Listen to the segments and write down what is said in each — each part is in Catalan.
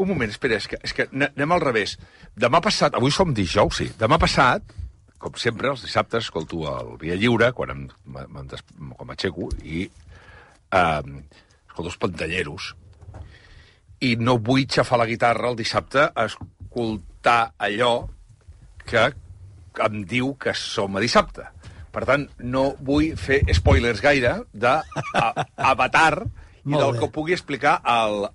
Un moment, espera, és que anem al revés. Demà passat, avui som dijous, sí, demà passat, com sempre, els dissabtes, escolto el Via Lliure, quan m'aixeco, i escolto els pantalleros. I no vull xafar la guitarra el dissabte a escoltar allò que em diu que som a dissabte. Per tant, no vull fer spoilers gaire d'Avatar i del que pugui explicar el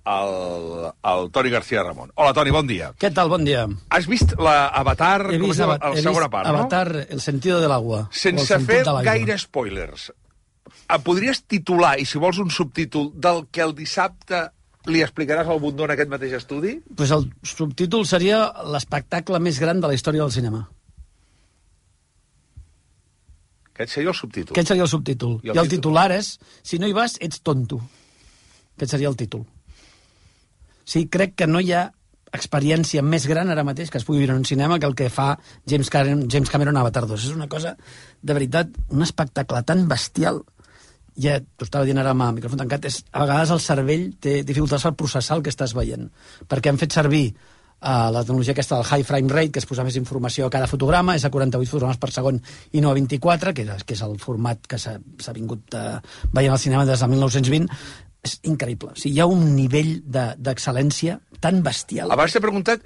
Toni García Ramon. Hola, Toni, bon dia. Què tal? Bon dia. Has vist l'Avatar, He vist segona part, no? Avatar, el sentido del agua. Sense fer gaire spoilers. Em podries titular, i si vols un subtítol, del que el dissabte li explicaràs al Bundó en aquest mateix estudi? Pues el subtítol seria l'espectacle més gran de la història del cinema. Aquest seria el subtítol. Aquest seria el subtítol. I el titular és, si no hi vas, ets tonto. Aquest seria el títol. Sí, crec que no hi ha experiència més gran ara mateix que es pugui viure en un cinema que el que fa James Cameron a Avatar 2. És una cosa, de veritat, un espectacle tan bestial. Ja t'ho estava dient ara amb el micròfon tancat, a vegades el cervell té dificultats per processar el que estàs veient. Perquè hem fet servir la tecnologia aquesta del high frame rate, que es posa més informació a cada fotograma, és a 48 fotogrames per segon i no a 24, que és el format que s'ha vingut veient al cinema des de 1920. És increïble. O sigui, hi ha un nivell d'excel·lència tan bestial. Abans t'he preguntat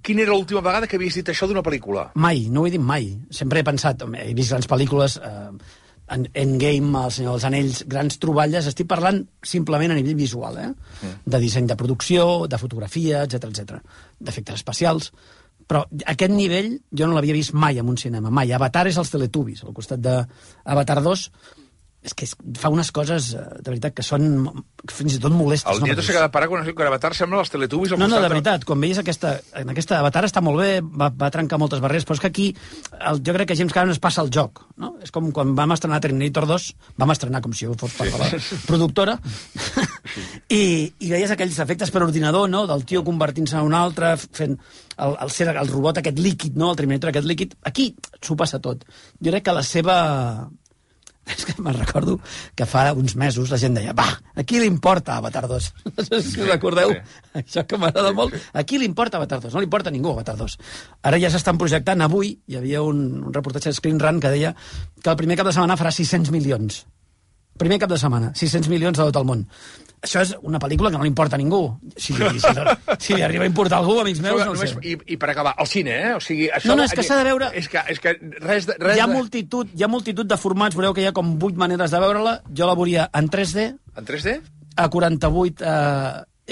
quina era l'última vegada que havies dit això d'una pel·lícula. Mai, no ho he dit mai. Sempre he pensat, he vist grans pel·lícules, Endgame, El Senyor dels Anells, grans troballes, estic parlant simplement a nivell visual, de disseny de producció, de fotografia, etc, d'efectes especials, però aquest nivell jo no l'havia vist mai en un cinema, mai. Avatar és els Teletubbies, al costat d'Avatar 2, és que fa unes coses, de veritat, que són fins i tot molestes. El Nieto s'ha quedat parat quan has dit que Avatar sembla els Teletubbies. No, de veritat, quan veies en aquesta Avatar està molt bé, va trencar moltes barreres, però és que aquí jo crec que James Cameron es passa el joc, no? És com quan vam estrenar Terminator 2, vam estrenar com si fos part de la productora, i veies aquells efectes per ordinador, no?, del tio convertint-se en un altre, fent el robot aquest líquid, no?, el Terminator aquest líquid. Aquí s'ho passa tot. Jo crec que la seva... És que me'n recordo que fa uns mesos la gent deia, a qui li importa Avatar 2? No sé si recordeu, això que m'agrada molt. A qui li importa Avatar 2? No li importa a ningú Avatar 2. Ara ja s'estan projectant, avui hi havia un reportatge de Screen Run que deia que el primer cap de setmana farà 600 milions. Primer cap de setmana, 600 milions de tot el món. Això és una pel·lícula que no li importa a ningú. Si li arriba a importar a algú, amics meus, no ho sé. I per acabar, al cine, o sigui... No, és que s'ha de veure... És que res... Hi ha multitud de formats, veureu que hi ha com 8 maneres de veure-la. Jo la veuria en 3D. En 3D? A 48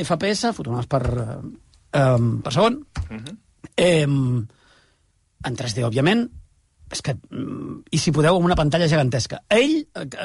FPS, fotogrames per segon. En 3D, òbviament. És que, i si podeu, amb una pantalla gegantesca.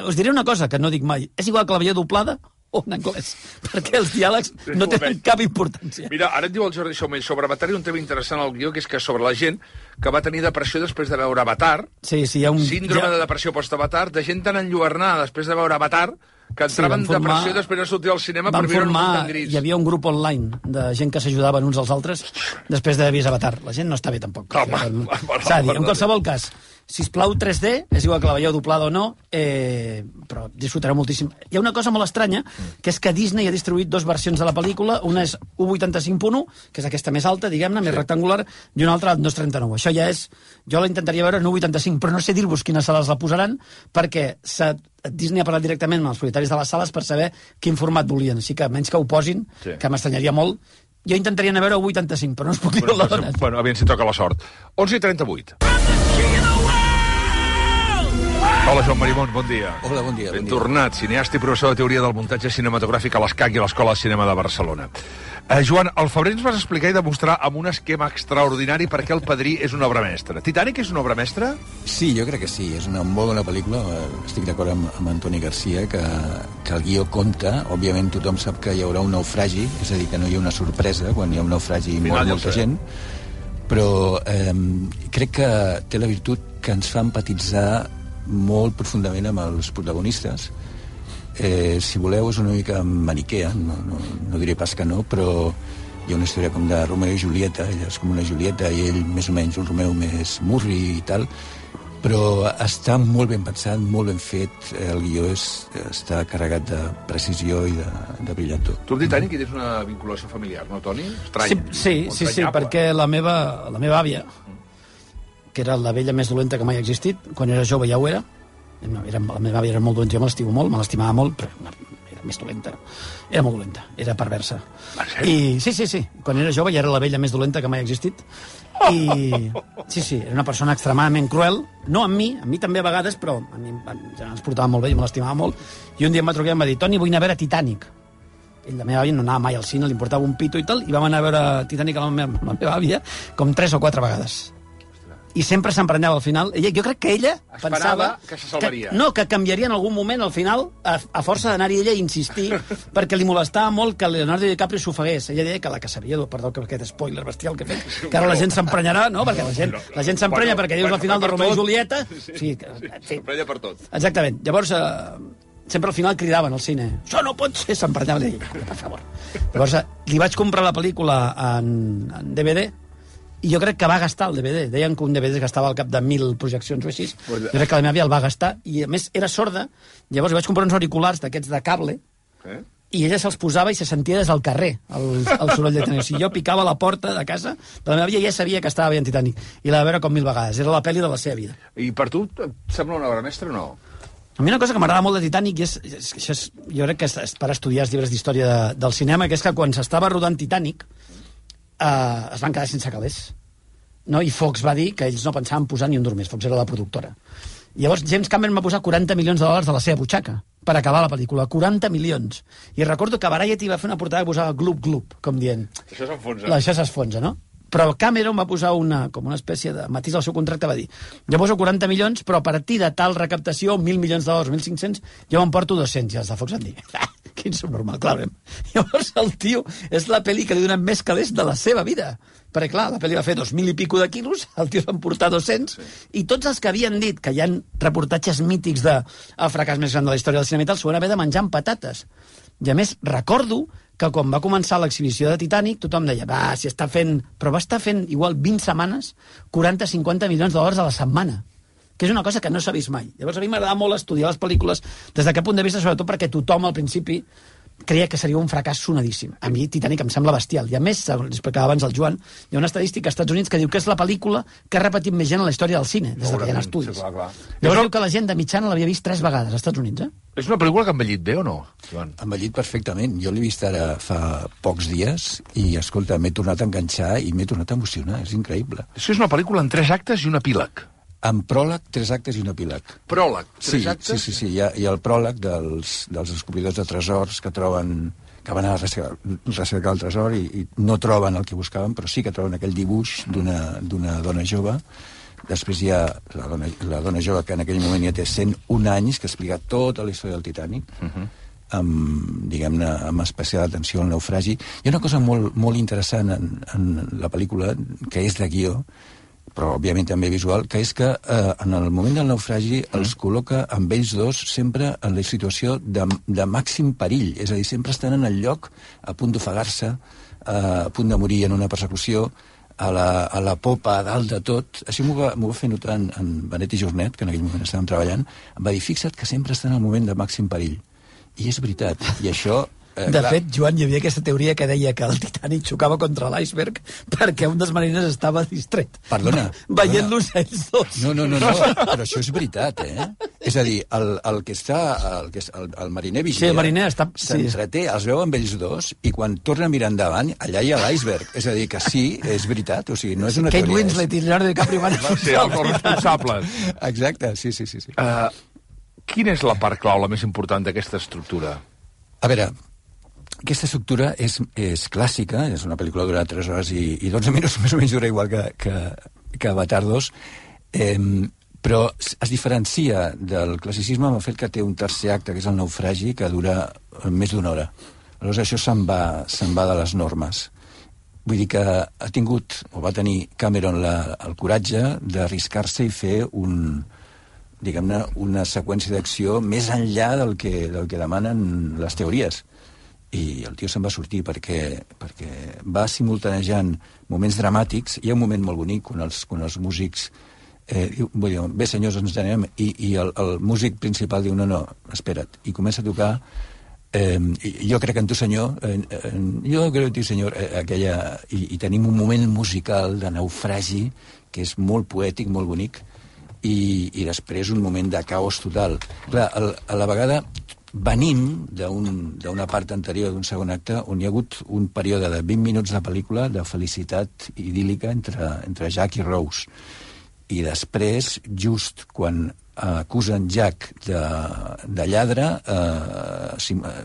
Us diré una cosa que no dic mai, és igual que la veieu doblada o en anglès, perquè els diàlegs no tenen cap importància. Mira, ara et diu el Jordi Somell sobre Avatar i un tema interessant al guió, que és que sobre la gent que va tenir depressió després de veure Avatar, hi ha un síndrome de depressió post-Avatar, de gent tan enlluernada després de veure Avatar, que entraven en depressió després de sortir al cinema per viure un món tan gris. Hi havia un grup online de gent que s'ajudaven uns als altres després d'haver vist Avatar. La gent no està bé, tampoc. S'ha de dir, en qualsevol cas, sisplau, 3D, és igual que la veieu doblada o no, però disfrutareu moltíssim. Hi ha una cosa molt estranya, que és que Disney ha distribuït 2 versions de la pel·lícula, una és 1.85.1, que és aquesta més alta, diguem-ne, més rectangular, i una altra 2.39. Això ja és... Jo la intentaria veure en 1.85, però no sé dir-vos quines sales la posaran, perquè Disney ha parlat directament amb els propietaris de les sales per saber quin format volien. Així que, menys que ho posin, que m'estranyaria molt, jo intentaria anar a veure 1.85, però no us puc dir la dona. Bueno, aviam si toca la sort. 11:38. Hola, Joan Marimon, bon dia. Hola, bon dia. Ben tornat, cineasta i professor de teoria del muntatge cinematogràfic a l'ESCAC i a l'Escola de Cinema de Barcelona. Joan, al febrer ens vas explicar i demostrar amb un esquema extraordinari per què El Padrí és una obra mestra. Titanic és una obra mestra? Sí, jo crec que sí. És una molt bona pel·lícula. Estic d'acord amb Antoni Garcia, que el guió compta. Òbviament tothom sap que hi haurà un naufragi, és a dir, que no hi ha una sorpresa quan hi ha un naufragi i mor molta gent. Però crec que té la virtut que ens fa empatitzar molt profundament amb els protagonistes. Si voleu, és una mica maniquea, no diré pas que no, però hi ha una història com de Romeo i Julieta, ella és com una Julieta i ell més o menys un Romeo més murri i tal, Però està molt ben pensat, molt ben fet. El guió està carregat de precisió i de brillantor. Tu amb Titanic hi tens una vinculació familiar, no, Toni? Estrany. Sí, perquè la meva àvia, que era la vella més dolenta que mai ha existit, quan era jove ja ho era. La meva àvia era molt dolenta, jo me l'estimo molt, me l'estimava molt, però era més dolenta. Era molt dolenta, era perversa. I sí, quan era jove ja era la vella més dolenta que mai ha existit. I sí, era una persona extremadament cruel, no amb mi també a vegades, però a mi ens portava molt bé, jo me l'estimava molt, i un dia em va trucar i em va dir: Toni, vull anar a veure Titanic. La meva àvia no anava mai al cine, li importava un pito i tal, i vam anar a veure Titanic amb la meva àvia com 3 o 4 vegades. I sempre s'emprenyava al final. Jo crec que ella pensava que se salvaria. Que canviaria en algun moment al final a força d'anar-hi ella a insistir perquè li molestava molt que Leonardo DiCaprio s'ofegués. Ella deia que la caçaria, perdó que aquest spoiler bestial que he fet, que ara la gent s'emprenyarà, no? Perquè la gent s'emprenya perquè dius la final de Romeo i Julieta. S'emprenya per tot. Exactament. Llavors, sempre al final cridaven al cine: això no pot ser, s'emprenyaven. I deia, per favor. Llavors, li vaig comprar la pel·lícula en DVD, i jo crec que va gastar el DVD. Deien que un DVD es gastava al cap de 1.000 projeccions o així. Jo crec que la meva àvia el va gastar, i a més era sorda. Llavors li vaig comprar uns auriculars d'aquests de cable, i ella se'ls posava i se sentia des del carrer el soroll de Titanic. O sigui, jo picava a la porta de casa de la meva àvia i ja sabia que estava veient Titanic, i la va veure com 1.000 vegades. Era la pel·li de la seva vida. I per tu et sembla una obra mestra o no? A mi una cosa que m'agrada molt de Titanic, jo crec que és per estudiar els llibres d'història del cinema, que és que quan s'estava rodant Titanic es van quedar sense calés. No? I Fox va dir que ells no pensaven posar ni un dur més. Fox era la productora. Llavors James Cameron va posar $40 milions de la seva butxaca per acabar la pel·lícula. 40 milions. I recordo que Variety va fer una portada que posava glup, glup, com dient... Això s'enfonsa. Això s'enfonsa, no? Però Cameron va posar com una espècie de matís al seu contracte, va dir: jo poso 40 milions, però a partir de tal recaptació, $1.000 milions, 1.500, jo me'n porto 200. I els de Fox van dir: quin subnormal, clar. Llavors el tio és la pel·li que li donen més calés de la seva vida. Perquè, clar, la pel·li va fer 2.000 i pico de quilos, el tio se'n portar 200, i tots els que havien dit que hi ha reportatges mítics de el fracàs més gran de la història del cinema i tal, s'ho van haver de menjar amb patates. I a més, recordo que quan va començar l'exhibició de Titanic, tothom deia: va, si està fent... Però va estar fent, igual, 20 setmanes, 40-50 milions de dòlars a la setmana, que és una cosa que no s'ha vist mai. Llavors a mi m'agrada molt estudiar les pel·lícules des d'aquest punt de vista, sobretot perquè tothom al principi creia que seria un fracàs sonadíssim. A mi Titanic em sembla bestial. I a més, explicava abans el Joan, hi ha una estadística als Estats Units que diu que és la pel·lícula que ha repetit més gent en la història del cine, des que hi ha estudis. Sí, clar. Llavors diu que la gent de mitjana l'havia vist 3 vegades als Estats Units, És una pel·lícula que ha envellit bé o no, Joan? Ha envellit perfectament. Jo l'he vist ara fa pocs dies i, escolta, m'he tornat a enganxar i m'he tornat a emocionar. És increïble. Això és una pel·lícula en 3 actes i un epíleg. Amb pròleg, 3 actes i un epíleg. Pròleg, 3 actes? Sí. Hi ha el pròleg dels descobridors de tresors que troben... que van a recercar el tresor i no troben el que buscaven, però sí que troben aquell dibuix d'una dona jove. Després hi ha la dona jove que en aquell moment ja té 101 anys, que explica tota la història del Titanic, amb, diguem-ne, amb especial atenció al naufragi. Hi ha una cosa molt, molt interessant en la pel·lícula, que és de guió, però òbviament també visual, que és que en el moment del naufragi els col·loca amb ells dos sempre en la situació de màxim perill, és a dir, sempre estan en el lloc a punt d'ofegar-se, a punt de morir en una persecució, a la popa, a dalt de tot. Així m'ho va fer notar en Benet i Jornet, que en aquell moment estàvem treballant, em va dir: fixa't que sempre estan en el moment de màxim perill. I és veritat, i això... De fet, Joan, hi havia aquesta teoria que deia que el Titanic xocava contra l'iceberg perquè un dels mariners estava distret. Perdona. Veient-los ells dos. No, però això és veritat, És a dir, el mariner vigia... Sí, el mariner està... S'entreté, els veu amb ells dos, i quan torna a mirar endavant, allà hi ha l'iceberg. És a dir, que sí, és veritat, o sigui, no és una Kate teoria... Winslet i Leonardo DiCaprio van ser els responsables. Exacte, sí. Quina és la part clau, la més important d'aquesta estructura? A veure, aquesta estructura és clàssica, és una pel·lícula dura 3 hores i 12 minuts, més o menys dura igual que Avatar 2, però es diferencia del classicisme amb el fet que té un tercer acte, que és el naufragi, que dura més d'1 hora. Aleshores això se'n va de les normes. Vull dir que ha tingut, o va tenir Cameron el coratge d'arriscar-se i fer diguem-ne, una seqüència d'acció més enllà del que demanen les teories. I el tio se'n va sortir perquè va simultanejant moments dramàtics. Hi ha un moment molt bonic quan els músics vull dir, bé, senyors, ens anem, i el músic principal diu, no, espera't, i comença a tocar jo crec en tu, senyor, jo crec en tu, senyor, aquella... I tenim un moment musical de naufragi que és molt poètic, molt bonic, i després un moment de caos total. Clar, a la vegada venim d'una part anterior, d'un segon acte, on hi ha hagut un període de 20 minuts de pel·lícula de felicitat idíl·lica entre Jack i Rose. I després, just quan acusen Jack de lladre,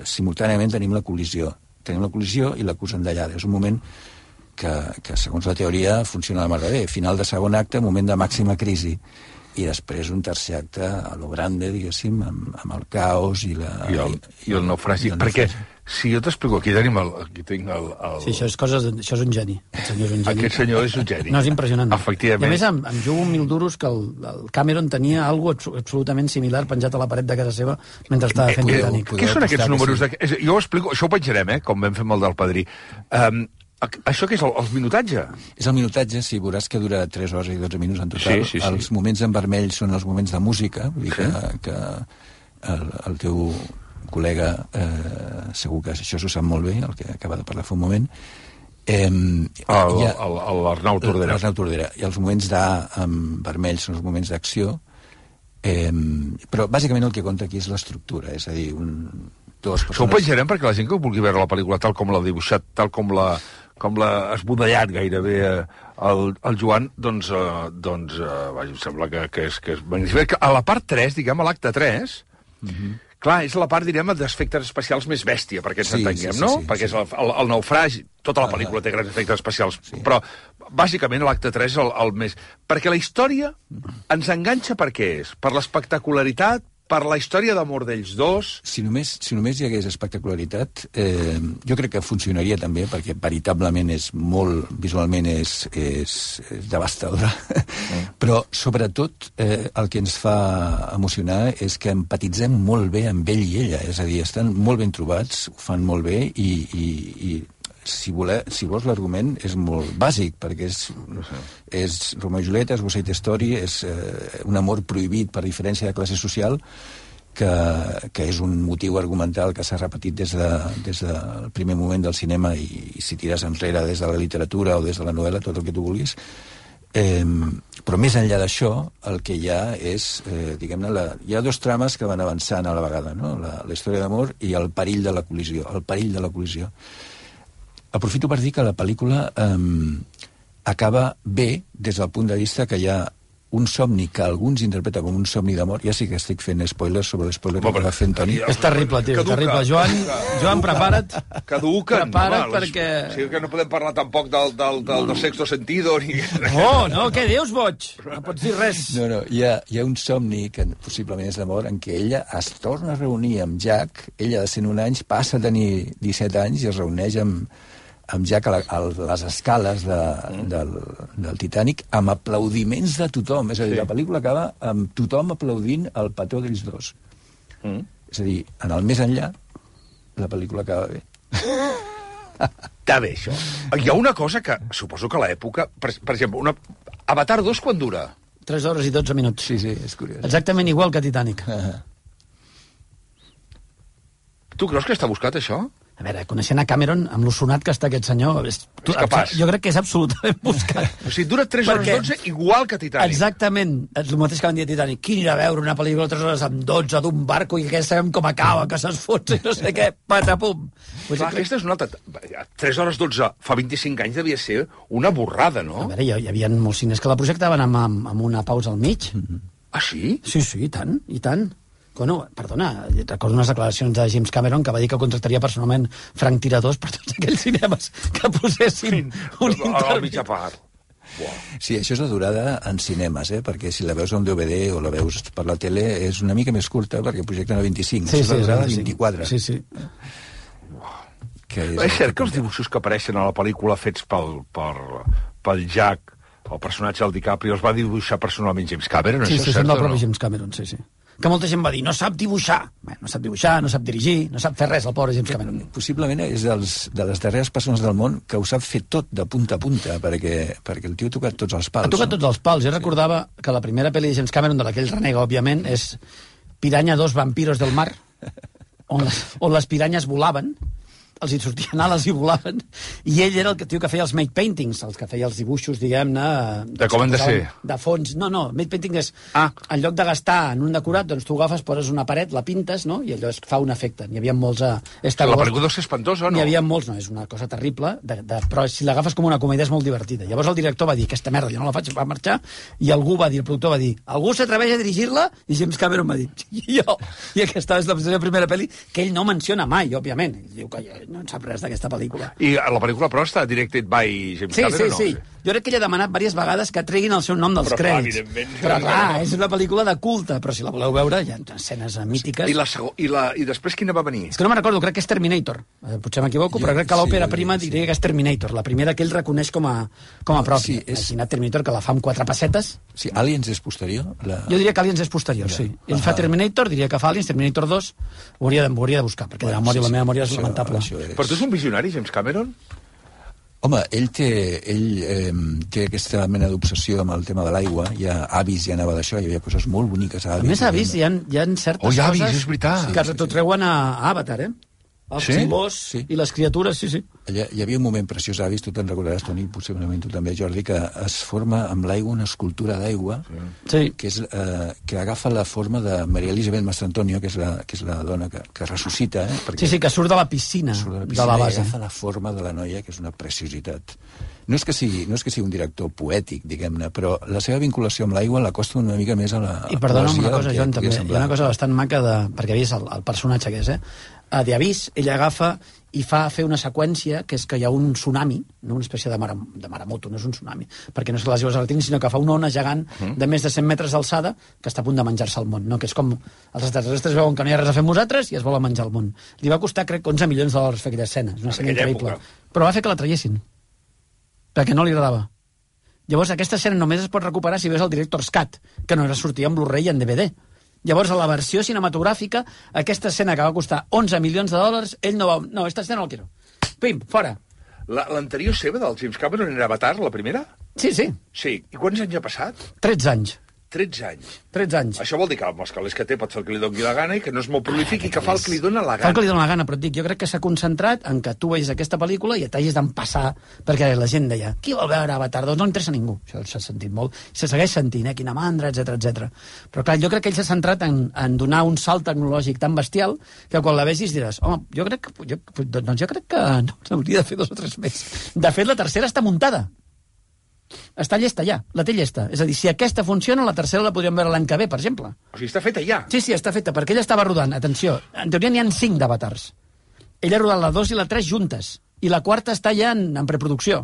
simultàniament tenim la col·lisió. Tenim la col·lisió i l'acusen de lladre. És un moment que segons la teoria, funciona de mar de bé. Final de segon acte, moment de màxima crisi. I després un tercer acte a lo grande, diguéssim, amb el caos i el naufragi. Perquè, si jo t'explico, aquí tinc el... Sí, això és un geni. Aquest senyor és un geni. No, és impressionant. Efectivament. I a més, em jugo 1.000 duros que el Cameron tenia algo absolutament similar penjat a la paret de casa seva mentre estava fent Titanic. Què són aquests números? Jo ho explico, això ho penjarem, com vam fer amb el del Padrí. Això què és, el minutatge? És el minutatge, sí, veuràs que dura 3 hores i 12 minuts en total. Sí. Els moments en vermell són els moments de música, vull dir que el teu col·lega segur que això s'ho sap molt bé, el que acaba de parlar fa un moment. L'Arnau Tordera. L'Arnau Tordera. I els moments en vermell són els moments d'acció, però bàsicament el que compta aquí és l'estructura, és a dir, dues persones... Això ho penjarem perquè la gent que vulgui veure la pel·lícula tal com l'ha dibuixat, tal com l'ha esbudellat gairebé el Joan, doncs em sembla que és magnífic. A la part 3, diguem, a l'acte 3, clar, és la part, direm, d'efectes especials més bèstia, perquè ens entenguem, no? Perquè és el naufragi, tota la pel·lícula té grans efectes especials, però bàsicament l'acte 3 és el més... Perquè la història ens enganxa per què és? Per l'espectacularitat, per la història d'amor d'ells dos... Si només hi hagués espectacularitat, jo crec que funcionaria també, perquè veritablement és molt... visualment és devastadora. Però, sobretot, el que ens fa emocionar és que empatitzem molt bé amb ell i ella. És a dir, estan molt ben trobats, ho fan molt bé, i si vols l'argument és molt bàsic, perquè és Romeo i Julieta, és West Side Story, és un amor prohibit per diferència de classe social, que és un motiu argumental que s'ha repetit des del primer moment del cinema i si tires enrere des de la literatura o des de la novel·la, tot el que tu vulguis. Però més enllà d'això, el que hi ha és, diguem-ne, hi ha dos trames que van avançant a la vegada, no? La història d'amor i el perill de la col·lisió. Aprofito per dir que la pel·lícula acaba bé des del punt de vista que hi ha un somni que alguns interpreten com un somni d'amor. Ja sí que estic fent spoilers sobre l'espoiler que va fer en Toni. És terrible, tio, terrible. Joan, prepara't. Caduquen. Prepara't perquè... O sigui que no podem parlar tampoc del sexto sentido ni... Oh, no, què dius, boig? No pots dir res. No, hi ha un somni que possiblement és d'amor en què ella es torna a reunir amb Jack, ella de 101 anys passa a tenir 17 anys i es reuneix amb Jack a les escales del Titanic amb aplaudiments de tothom. És a dir, la pel·lícula acaba amb tothom aplaudint el petó d'ells dos. És a dir, en el més enllà, la pel·lícula acaba bé. Està bé, això. Hi ha una cosa que, suposo que a l'època... Per exemple, Avatar 2 quan dura? 3 hores i 12 minuts. Sí, és curiós. Exactament igual que Titanic. Tu creus que està buscat, això? A veure, coneixent a Cameron, amb lo sonat que està aquest senyor... És capaç. Jo crec que és absolutament buscat. O sigui, dura 3 hores 12 igual que Titanic. Exactament. És el mateix que van dir a Titanic. Qui anirà a veure una pel·lícula 3 hores amb 12 d'un barco i que sabem com acaba, que s'esfotsa i no sé què, patapum. Clar, aquesta és una altra... 3 hores 12 fa 25 anys devia ser una borrada, no? A veure, hi havia molts cines que la projectaven amb una pausa al mig. Ah, sí? Sí, i tant, i tant. Bueno, perdona, recordo unes declaracions de James Cameron que va dir que contractaria personalment franc tiradors per tots aquells cinemes que posessin un a mitja part. Sí, això és la durada en cinemes, perquè si la veus a un DVD o la veus per la tele és una mica més curta perquè projecten a 25. Sí, és la durada a 24. Sí. És cert que els dibuixos que apareixen a la pel·lícula fets pel Jack, el personatge del DiCaprio, els va dibuixar personalment James Cameron? Sí, són del propi James Cameron, sí. que molta gent va dir no sap dibuixar. Bé, no sap dibuixar, no sap dirigir, no sap fer res, el pobre James Cameron. Possiblement és de les darreres persones del món que ho sap fer tot de punta a punta, perquè el tio ha tocat tots els pals. Ha tocat tots els pals. Jo recordava que la primera pel·li de James Cameron, de la que ell renega, òbviament, és Piranha 2 vampiros del mar, on les piranyes volaven, els hi sortien ales i volaven, i ell era el tio que feia els make paintings, els que feia els dibuixos, diguem-ne... De com han de ser. De fons. No, make painting és... En lloc de gastar en un decorat, doncs tu agafes, poses una paret, la pintes, no?, i allò es fa un efecte. N'hi havia molts a... La pel·lícula deu ser espantosa, no? N'hi havia molts, no, és una cosa terrible, però si l'agafes com una comèdia és molt divertida. Llavors el director va dir, aquesta merda, jo no la faig, va marxar, i algú va dir, el productor va dir, algú s'atreveix a dirigir-la? I James Cameron va dir, jo. I aquesta és la seva primera pel·li, que ell no menciona mai, òbviament. Ell diu que no en sap res d'aquesta pel·lícula. I la pel·lícula, però, està directed by James Cameron, no? Sí. Jo crec que ell ha demanat diverses vegades que treguin el seu nom dels crèdits. Però clar, és una pel·lícula de culte, però si la voleu veure, hi ha escenes mítiques. I després quina va venir? És que no me'n recordo, crec que és Terminator. Potser m'equivoco, però crec que l'òpera prima diria que és Terminator, la primera que ell reconeix com a pròpia. Imagina't Terminator, que la fa amb 4 pessetes. Sí, Aliens és posterior? Jo diria que Aliens és posterior, sí. Ell fa Terminator, diria que fa Aliens, Terminator 2, ho hauria de buscar, perquè la meva memòria és lamentable. Però tu és un visionari, James Cameron? Home, ell té aquesta mena d'obsessió amb el tema de l'aigua. Ja Avis ja anava d'això, hi havia coses molt boniques a Avis. A més, Avis, hi ha certes coses... Avis, és veritat. Que t'ho treuen a Avatar, Els colors i les criatures, sí. Hi havia un moment preciós, Avis, tu te'n recordaràs, Toni, possiblement tu també, Jordi, que es forma amb l'aigua una escultura d'aigua que agafa la forma de Maria Elisabet Mastrantonio, que és la dona que ressuscita. Sí, que surt de la piscina de la base. I agafa la forma de la noia, que és una preciositat. No és que sigui un director poètic, diguem-ne, però la seva vinculació amb l'aigua l'acosta una mica més a la poesia. I perdona'm una cosa, Joan, també. Hi ha una cosa bastant maca, perquè havies el personatge que és, de Avis, ell agafa i fa fer una seqüència que és que hi ha un tsunami, no una espècie de maremoto, no és un tsunami, perquè no és que les aigües el tinguin, sinó que fa una ona gegant de més de 100 metres d'alçada que està a punt de menjar-se el món, no? Que és com els extraterrestres veuen que no hi ha res a fer amb nosaltres i es volen menjar el món. Li va costar, crec, 11 milions de dòlars fer aquella escena, és una escena increïble. Però va fer que la traiessin, perquè no li agradava. Llavors aquesta escena només es pot recuperar si veus el Director's Cut, que no era sortir en Blu-ray i en DVD. Llavors, a la versió cinematogràfica, aquesta escena que va costar 11 milions de dòlars, ell no va... No, esta escena no la quiero. Pim, fora. L'anterior seva, del James Cameron, era Avatar, la primera? Sí. Sí. I quants anys ha passat? 13 anys. 13 anys. 13 anys. Això vol dir que els calés que té pot fer el que li doni la gana i que no és molt prolífic i que fa el que li dona la gana. Fa el que li dona la gana, però et dic, jo crec que s'ha concentrat en que tu vegis aquesta pel·lícula i t'hagis d'empassar, perquè la gent deia, qui vol veure Avatar 2? No interessa a ningú. Això s'ha sentit molt. Se segueix sentint, quina mandra, etc. Però clar, jo crec que ell s'ha centrat en donar un salt tecnològic tan bestial que quan la vegis diràs, home, jo crec que no hauria de fer 2 o 3 més. De fet, la tercera està muntada. Està llesta ja, la té llesta. És a dir, si aquesta funciona, la tercera la podríem veure l'any que ve, per exemple. O sigui, està feta ja. Sí, està feta, perquè ella estava rodant, atenció, en teoria n'hi ha 5 d'Avatars. Ella ha rodat la 2 i la 3 juntes, i la quarta està ja en preproducció.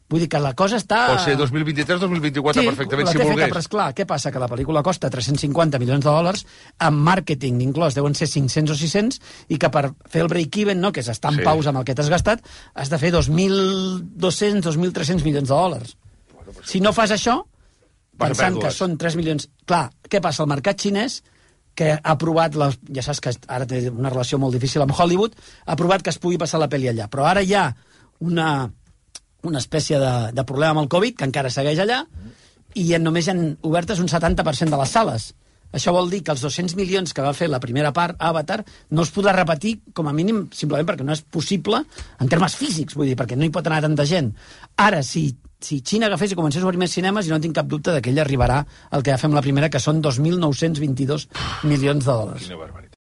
Vull dir que la cosa està... Pot ser 2023-2024, perfectament, si volgués. Sí, però esclar, què passa? Que la pel·lícula costa 350 milions de dòlars, amb màrqueting inclòs deuen ser 500 o 600, i que per fer el break-even, no, que és estar en pausa amb el que t'has gastat, has de fer 2.200, 2.300 milions de dòlars. Si no fas això, pensant que són 3 milions... Clar, què passa? El mercat xinès, que ha aprovat... Ja saps que ara té una relació molt difícil amb Hollywood, ha aprovat que es pugui passar la pel·li allà. Però ara hi ha una espècie de problema amb el Covid, que encara segueix allà, i només hi han obertes un 70% de les sales. Això vol dir que els 200 milions que va fer la primera part, Avatar, no es podrà repetir, com a mínim, simplement perquè no és possible en termes físics, vull dir, perquè no hi pot anar tanta gent. Ara, si Xina agafés i comencés a obrir més cinemes, i no tinc cap dubte que ell arribarà al que ja fem la primera, que són 2.922 milions de dòlars. Quina barbaritat.